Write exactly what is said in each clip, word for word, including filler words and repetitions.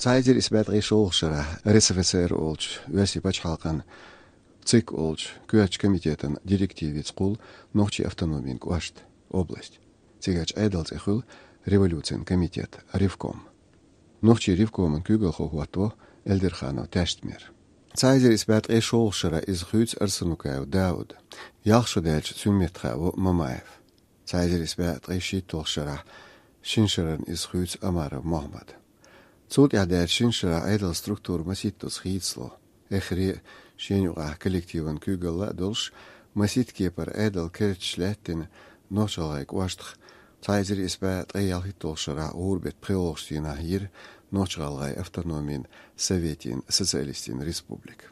Цхьа эзар исс бӀе ткъе шолгӀача шера РСФСР олча Оьрсийн пачхьалкхан ЦИК олча коьртача комитетан директивица кхуллу нохчийн автономин кӀошт, область. Цигарчу Ӏедал цӀе хуьлу революцин комитет, ревком. Нохчийн ревкоман куьйгалхо хӀотто Эльдерханов Таьштмир. Цхьа эзар исс бӀе ткъе шолгӀача шера иза хуьйцу Арсанукаев Дауд. Ялх шо даьлча цуьнан метта хааву Мамаев. Цхьа эзар исс бӀе ткъе шийтталгӀача шера, шина шеран иза хуьйцу Омаров Мохьмад. Цул тӀаьхьа даьлча шина шера Ӏедалан структура масийттаза хийцало. Эххар а шена юкъахь коллективан куьйгалла а долуш, масийтта кепара Ӏедал керташ лаьттина Нохч-ГӀалгӀайн кӀоштах цхьа эзар исс бӀе ткъе ялхитталгӀача шарахь гӀуран беттан пхоьалгӀачу дийнахь йира Нохч-ГӀалгӀайн автономин советийн социалистийн республика.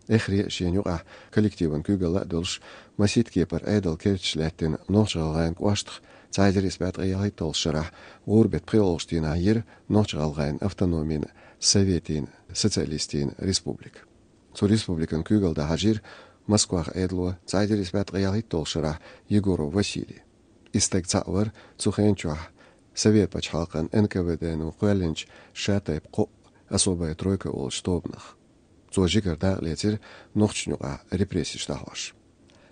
Эххар а шена юкъахь коллективан куьйгалла а долуш, масийтта кепара Ӏедал керташ лаьттина Нохч-ГӀалгӀайн кӀоштах цхьа эзар исс бӀе ткъе ялхитталгӀача шарахь гӀуран беттан пхоьалгӀачу дийнахь йира Нохч-ГӀалгӀайн автономин советийн социалистийн республика. Цу республикан куьйгалла дан хьажийра Москвахь Ӏедало цхьа эзар исс бӀе ткъе ялхитталгӀача шарахь Егоров Василий. И стаг цхьаъ вара цу хенан чохь Совет пачхьалкхан НКВД-но кхоьллинчу шатайпа кхоъ, особая тройка олучу тобанах. Цо жигара дакъалецира нохчашна юкъахь репрессеш дӀахьош.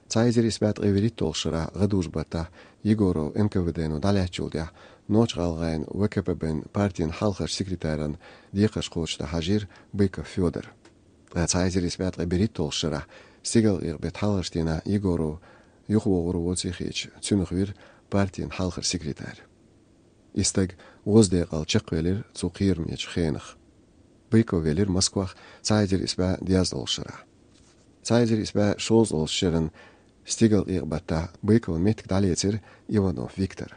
Цхьа эзар исс бӀе ткъе вуьрхӀитталгӀача шарахь гӀадужу баттахь Егоров НКВД-но дӀалаьцначул тӀаьхьа Нохч-ГӀалгӀайн ВКПБ-н партин хьалхарчу секретаран декхарш кхочушдан хьажийра Быков Фёдор. Ткъа цхьа эзар исс бӀе ткъе берхӀитталгӀача шарахь стигалкъекъа беттан хьалхарчу дийнахь Егоров юхавогӀур воций хеташ, цуьнах вира партин хьалхара секретарь. И стаг гӀоздекъал чекхвелира цу кхерамечу хенах. Быков велира Москвахь цхьа эзар исс бӀе дезткъалгӀачу шарахь. Цхьа эзар исс бӀе шовзткъалгӀачу шеран стигалкъекъа баттахь Быковн меттиг дӀалецира Иванов Виктор.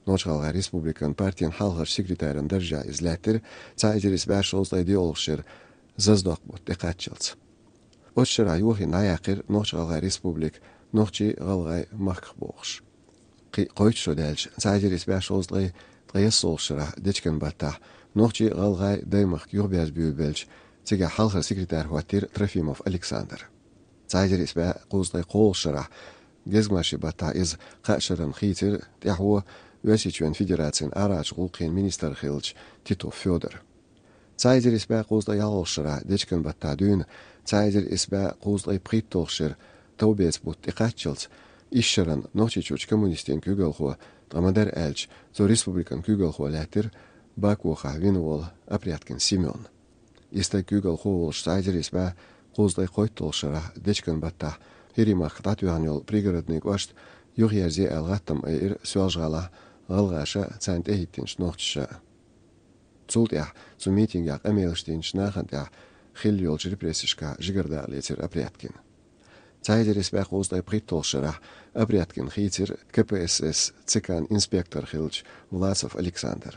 Нохч-ГӀалгӀайн республикан партин хьалхарчу секретаран даржехь иза лаьттира цхьа эзар исс бӀе шовзткъе диъалгӀачу шеран Заздокх-бутт тӀекхаччалц. Оцу шарахь йохийна дӀаяьккхира Нохч-ГӀалгӀайн республика нохчий а, гӀалгӀай а махках бохуш. Кхин а кхойтта шо даьлча, цхьа эзар исс бӀе шовзткъе ткъаесналгӀачу шарахь Дечкен-баттахь нохчий а, гӀалгӀай а даймахка юхаберзабевлла белча, цигахь хьалхара секретарь хӀоттийра Трофимов Александр. Цхьа эзар исс бӀе кхузткъе кхоалгӀачу шарахь Гезгмашин-баттахь иза кхаа шеран хийцира тӀаьхьо Оьрсийчоьнан Федерацин арахьарчу гӀуллакхийн министр хиллачу Титов Фёдора. Цхьа эзар исс бӀе кхузткъе ялхалгӀачу шарахь Дечкен-баттахь дуьйна цхьа эзар исс бӀе кхузткъе пхийтталгӀачу шеран Товбеца-бутт тӀекхаччалц, исс шеран Нохчийчуьрчу коммунистийн куьйгалхо, ткъа ма-дарра аьлча, цу республикан куьйгалхо лаьттира Бакохахь вина волу Опрядкин Семён. И стаг куьйгалхо волуш цхьа эзар исс бӀе кхузткъе кхойтталгӀачу шарахь Дечкен-баттахь ХӀирийн махка дӀатоьхна йолу Пригородный кӀошт юхаерзе аьлла гӀаттам айира Соьлжа-ГӀалахь гӀалгӀаша а, царна тӀехӀиттинчу нохчаша а. Цул тӀаьхьа цу митингехь къамелаш динчу нахана тӀехь хилла йолчу репрессешкахь жигара дакъалецира Опрядкин. Цхьа эзар исс бӀе кхузткъе пхийтталгӀачу шарахь Опрядкин хийцира КПСС ЦК-н инспектор хиллачу Власов Александр.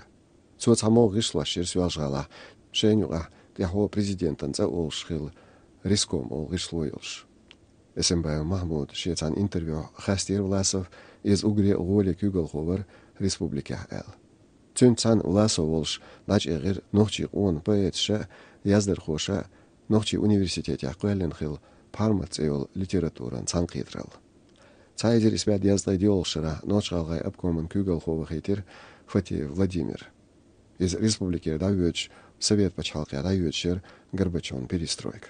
Цо цхьамогӀа гӀишлош йира Соьлжа-ГӀалахь, шайна юкъахь тӀаьхьо президентан цӀа олуш хилла Риском олу гӀишло йолуш. Эсенбаев Махьмуда шен цхьана интервьюхь хастийра Власов, иза уггаре а гӀоле куьйгалхо вара республикехь аьлла. Цуьнца цхьаьна Власов волуш дӀачӀагӀира нохчийн къона поэташа а, яздархоша а Нохчийн университетехь кхоьллина хилла «Пхьармат» цӀе йолу литературан цхьаьнакхетаралла. Цхьа эзар исс бӀе дезткъе диъалгӀачу шарахь Нохч-ГӀалгӀайн обкоман куьйгалхо вахийтира Фатеев Владимир. Иза республикера дӀавоьдуш, Совет пачхьалкхе дӀайоьдуш яра Горбачёвн перестройка.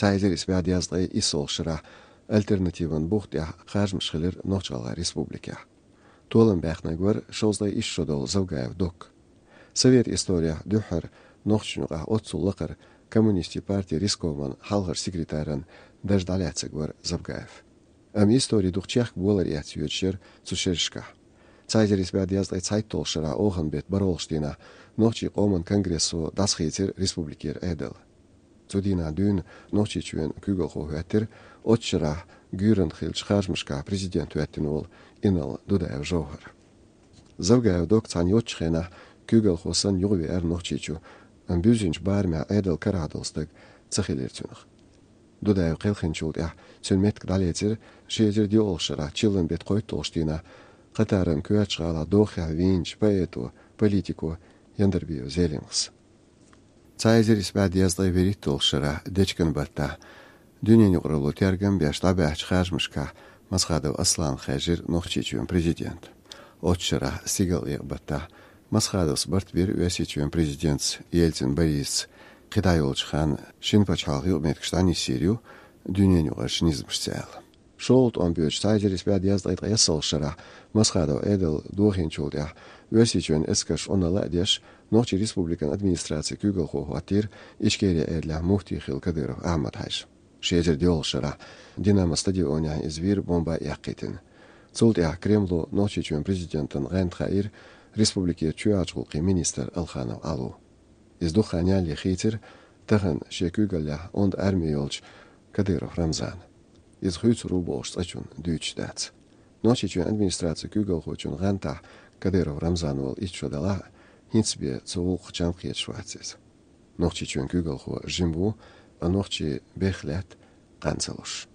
Цхьа эзар исс бӀе дезткъе иссалгӀачу шарахь альтернативан бух тӀехь харжамаш хилира Нохч-ГӀалгӀайн республикехь. Толам баьхнарг вара шовзткъе исс шо долу Завгаев Док. Совет исторехь дуьххьара нохчашна юкъахь оццул лакхара коммунистийн партин рискоман хьалхара секретаран дарж дӀалаьцнарг вара Завгаев. Амма истори дукха чехка болар эцна йоьдуш яра цу шерашкахь. Цхьа эзар исс бӀе дезткъе цхьайтталгӀачу шарахь оханан беттан бархӀалгӀачу дийнахь Нохчийн къоман конгрессо дӀасахийцира республикера Ӏедал. Цу дийнахь дуьйна Нохчийчоьнан куьйгалхо хӀоьттира оццу шарахь гуьйранна хиллачу харжамашкахь президент хӀоьттина волу инарла Дудаев Жовхар. Завгаев Док цхьаьна йоцучу хенахь куьйгалхо санна юхавеара Нохчийчу, амма буьззинчу барамехь Ӏедал карахь долу стаг ца хилира цуьнах. Дудаев кхелхинчул тӀаьхьа цуьнан меттиг дӀалецира ши эзар диъалгӀачу шарахь чиллан беттан кхойтталгӀачу дийнахь Катаран коьртачу гӀалахь дохехь вийначу поэто, политико Яндарбиев Зелимхас. Цхьа эзар исс бӀе дезткъе вуьрхӀитталгӀачу шарахь Дечкен-баттахь дуьненан юкъаралло тергам беш дӀабаьхьначу харжамашкахь Масхадов Аслана хаьржира Нохчийчоьнан президент. Оццу шарахь стигалкъекъа-баттахь Масхадовс барт бира Оьрсийчоьнан президентца Ельцин Борисца кхин дӀа йолчу ханна шина пачхьалкхан юкъаметтигаш дӀанисйийр ю дуьненаюкъарчу низамашца аьлла. ШолгӀа тӀом боьдуш цхьа эзар исс бӀе дезткъе ткъаесналгӀачу шарахь Масхадов Ӏедал дохийначул тӀаьхьа Оьрсийчоьнан эскарша Ӏуналла а деш, Нохчийн Республикан администрацин куьйгалхо хӀоттийра Ичкерин эрлехь муфти хилла Кадыров Ахьмад-Хьаьжа. Ши эзар диъалгӀачу шарахь Динамо стадионехь иза вийра бомба а эккхийтина. Цул тӀаьхьа Кремло Нохчийчоьнан президентан гӀанта хаийра республикерчу чоьхьарчу гӀуллакхийн министр Алханов Ӏало. Иза дукха хан ялале хийцира тахана шен куьйгаллехь онда арми йолчу Кадыров Рамзана. Иза хуьйцур ву бохуш цкъачунна дуьйцуш дац. Нохчийчоьнан администрацин куьйгалхочун гӀантахь Кадыров Рамзан волу итт шо далахь а, хӀинца бен цу гӀуллакхах чам кхеташ вац иза. Нохчийчоьнан куьйгалхо жима ву, ткъа нохчийн бехк лаьтта кхана ца луш.